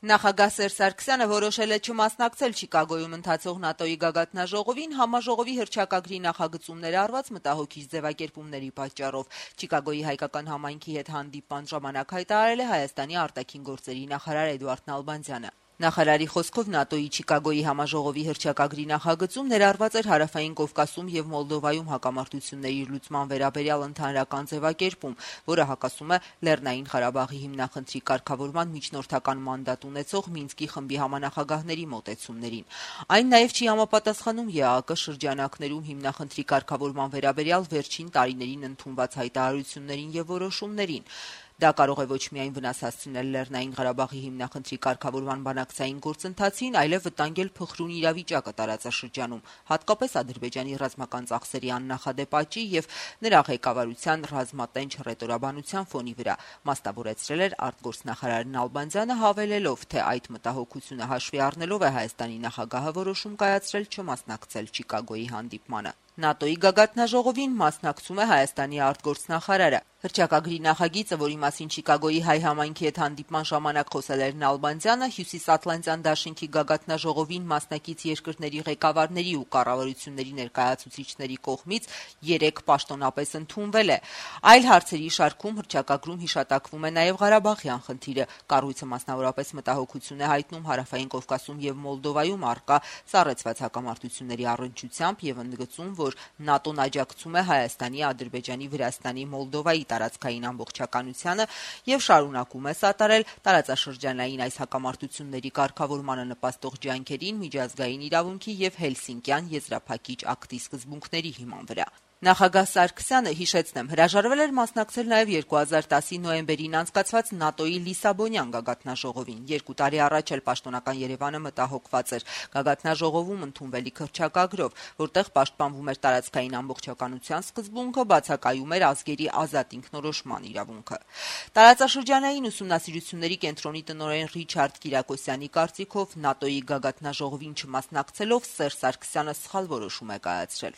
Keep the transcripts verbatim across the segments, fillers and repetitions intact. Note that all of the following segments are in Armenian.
Նախագահ Սերժ Սարգսյանը որոշել է չմասնակցել Չիկագոյում ընթացող ՆԱՏՕ-ի գագաթնաժողովին համաժողովի հռչակագրի նախագծումները արված մտահոգիչ ձևակերպումների պատճառով։ Չիկագոյի հայկական համայնքի հետ հանդիպման ժամանակ հայտարարել է Հայաստանի արտաքին գործերի նախարար Էդուարդ Նալբանդյանը։ Նախարարի խոսքով ՆԱՏՕ-ի Չիկագոյի համաժողովի հռչակագրի նախագծում ներառված էր Հարավային Կովկասում եւ Մոլդովայում հակամարտությունների լուծման վերաբերյալ ընդհանրական ձևակերպում, որը հակասում է Լեռնային Ղարաբաղի հիմնախնդրի կարգավորման միջնորդական մանդատ ունեցող Մինսկի խմբի համանախագահների մոտեցումներին։ Այն նաեւ չի համապատասխանում ԵԱԿ շրջանակներում հիմնախնդրի կարգավորման վերաբերյալ վերջին տարիներին ընդունված հայտարարություններին եւ որոշումներին։ Դա կարող է ոչ միայն վնաս հասցնել Լեռնային Ղարաբաղի հիմնախնդրի կարգավորման բանակցային գործընթացին, այլև վտանգել փխրուն իրավիճակը տարածաշրջանում, հատկապես Ադրբեջանի ռազմական ծախսերի աննախադեպ աճի եւ նրա ղեկավարության ռազմատենչ հռետորաբանության ֆոնի վրա, մասնավորեցրել էր արտգործնախարար Նալբանդյանը, հավելելով, թե այդ մտահոգությունը հաշվի առնելով է Հայաստանի նախագահը որոշում կայացրել չմասնակցել Չիկագոյի հանդիպմանը։ ՆԱՏՕ-ի գագաթնաժողովին մասնակցում է Հայաստանի արտգործնախարարը։ Հռչակագրի նախագիծը, որի մասին Չիկագոյի հայ համայնքի հետ հանդիպման ժամանակ խոսել էր Նալբանդյանը, Հյուսիսատլանտյան դաշինքի գագաթնաժողովին մասնակից երկրների ղեկավարների ու կառավարությունների ներկայացուցիչների կողմից երեք պաշտոնապես ընդունվել է։ Այլ հարցերի շարքում հռչակագրում հիշատակվում է նաև Ղարաբաղյան խնդիրը։ Կառույցը մասնավորապես մտահոգություն է հայտնում Հարավային Կովկասում եւ Մոլդովայում առկա սառեցված հակամարտությունների առնչությամբ եւ ընդգծում, որ ՆԱՏՕ-ն աջակցում է Հայաստանի, Ադրբեջանի, Վրաստանի, Մոլդովայի տարածքային ամբողջականությանը եւ շարունակում է սատարել տարածաշրջանային այս հակամարտությունների կարգավորմանը նպաստող ջանքերին միջազգային իրավունքի եւ Հելսինկյան եզրափակիչ ակտի սկզբունքների հիման վրա։ Նախագահ Սարգսյանը, հիշեցնեմ, հրաժարվել էր մասնակցել նաև երկու հազար տասի նոյեմբերին անցկացված ՆԱՏՕ-ի Լիսաբոնյան գագաթնաժողովին։ Երկու տարի առաջ էլ պաշտոնական Երևանը մտահոգված էր գագաթնաժողովում ընդունվելիք հռչակագրով, որտեղ պաշտպանվում էր տարածքային ամբողջականության սկզբունքը, բացակայում էր ազգերի ազատ ինքնորոշման իրավունքը։ Տարածաշրջանային ուսումնասիրությունների կենտրոնի տնօրեն Ռիչարդ Կիրակոսյանի կարծիքով ՆԱՏՕ-ի գագաթնաժողովին չմասնակցելով Սերժ Սարգսյանը սխալ որոշում է կայացրել։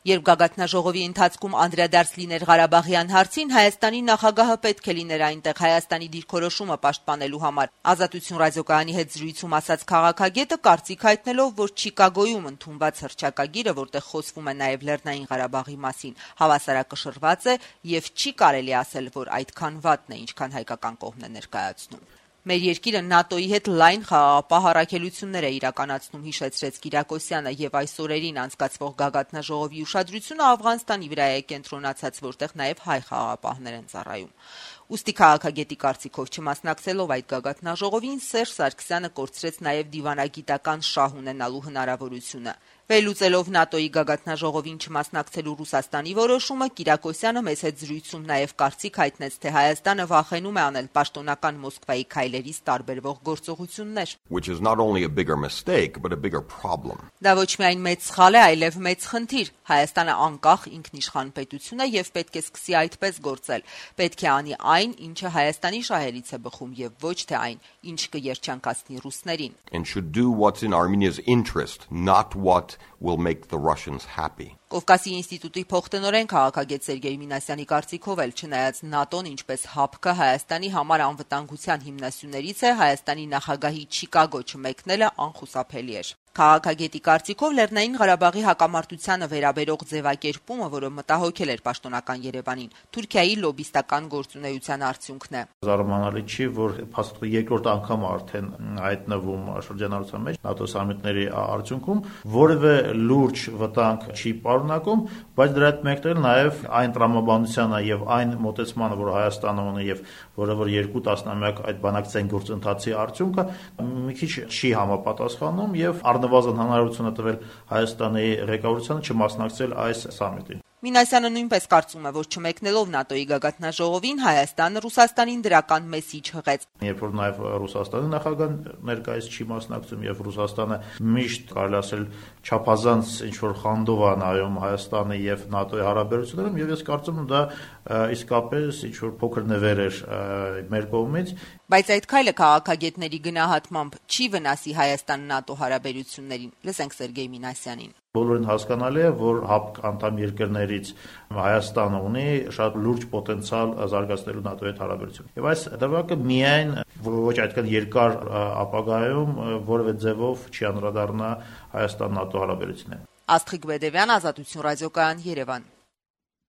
Երբ գագաթնաժողովի ընթացքում անդրադարձ լիներ Ղարաբաղյան հարցին, Հայաստանի նախագահը պետք է լիներ այնտեղ Հայաստանի դիրքորոշումը պաշտպանելու համար։ Ազատություն ռադիոկայանի հետ զրույցում ասաց քաղաքագետը, կարծիք հայտնելով, որ Չիկագոյում ընդունված հռչակագիրը, որտեղ խոսվում է նաև Լեռնային Ղարաբաղի մասին, հավասարակշռված է եւ չի կարելի ասել, որ այդքան վատն է, ինչքան հայկական կողմն է ներկայացնում։ Մեր երկիրը ՆԱՏՕ-ի հետ լայն խաղաղապահ առաքելություններ է իրականացնում, հիշեցրեց Կիրակոսյանը, եւ այս օրերին անցկացվող գագաթնաժողովի ուշադրությունը Աֆղանստանի վրա է կենտրոնացած, որտեղ նաեւ հայ խաղաղապահներ են ծառայում։ Ուստի քաղաքագետի կարծիքով չմասնակցելով այդ գագաթնաժողովին Սերժ Սարգսյանը կորցրեց նաեւ դիվանագիտական շահ ունենալու հնարավորությունը։ Վերլուծելով ՆԱՏՕ-ի գագաթնաժողովին չմասնակցելու Ռուսաստանի որոշումը, Կիրակոսյանը մեծ հետ զրույցում նաև կարծիք հայտնեց, թե Հայաստանը վախենում է անել պաշտոնական Մոսկվայի քայլերից տարբերվող գործողություններ։ Դա ոչ միայն մեծ սխալ է, այլև մեծ խնդիր։ Հայաստանը անկախ ինքնիշխան պետություն է եւ պետք է սկսի այդպես գործել։ Պետք է անի այն, ինչը Հայաստանի շահերից է բխում, եւ ոչ թե այն, ինչ կերջանկացնի ռուսներին։ Will make the Russians happy. Կովկասի ինստիտուտի փոխտնօրեն քաղաքագետ Սերգեյ Մինասյանի կարծիքով էլ չնայած ՆԱՏՕ-ն ինչպես հապկը Հայաստանի համար անվտանգության հիմնասյուներից է, Հայաստանի նախագահի Չիկագո չմեկնելը անխուսափելի էր։ Քաղաքագետի կարծիքով Լեռնային Ղարաբաղի հակամարտությանը վերաբերող ձևակերպումը, որը մտահոգել էր պաշտոնական Երևանին, Թուրքիայի լոբիստական գործունեության արդյունքն է։ Զարմանալի չի, որ փաստորեն երկրորդ անգամ արդեն հայտնվում շրջանառության մեջ ՆԱՏՕ սամիտների արդյունքում որևէ լուրջ վտանգ չի պարունակում, բայց դրա հետ մեկտեղ նաև այն տրամաբանությանը եւ այն մոտեցմանը, որ Հայաստանը ունի եւ որը որ երկու տասնամյակ այդ բանակցային գործընթացի արդյունքը մի քիչ չի համապատասխանում եւ առնվազն հնարավորություն է տվել Հայաստանի ղեկավարությանը չմասնակցել այս սամիտին։ Մինասյանը նույնպես կարծում է, որ չմեկնելով ՆԱՏՕ-ի գագաթնաժողովին Հայաստանը Ռուսաստանին դրական մեսիջ հղեց։ Երբ որ նաև Ռուսաստանի նախագահն ներկայիս չի մասնակցում եւ Ռուսաստանը միշտ կարելի ասել չափազանց ինչ որ խանդով է նայում Հայաստանի եւ ՆԱՏՕ-ի հարաբերություններում, եւ ես կարծում եմ դա իսկապես ինչ որ փոքր նվեր էր մեր կողմից Բայց այդ քայլը քաղաքագետների գնահատմամբ չի վնասի Հայաստան-ՆԱՏՕ հարաբերություններին։ Լսենք Սերգեյ Մինասյանին։ Բոլորին հասկանալի է, որ ՀԱՊԿ անդամ երկրներից Հայաստանը ունի շատ լուրջ պոտենցիալ զարգացնելու ՆԱՏՕ-ի հետ հարաբերություն։ Եվ այս դեպքը միայն ոչ այդքան երկար ապագայում որևէ ձևով չի անդրադառնա Հայաստան-ՆԱՏՕ հարաբերություններին։ Աստղիկ Բեդևյան, Ազատություն ռադիոկայան, Երևան։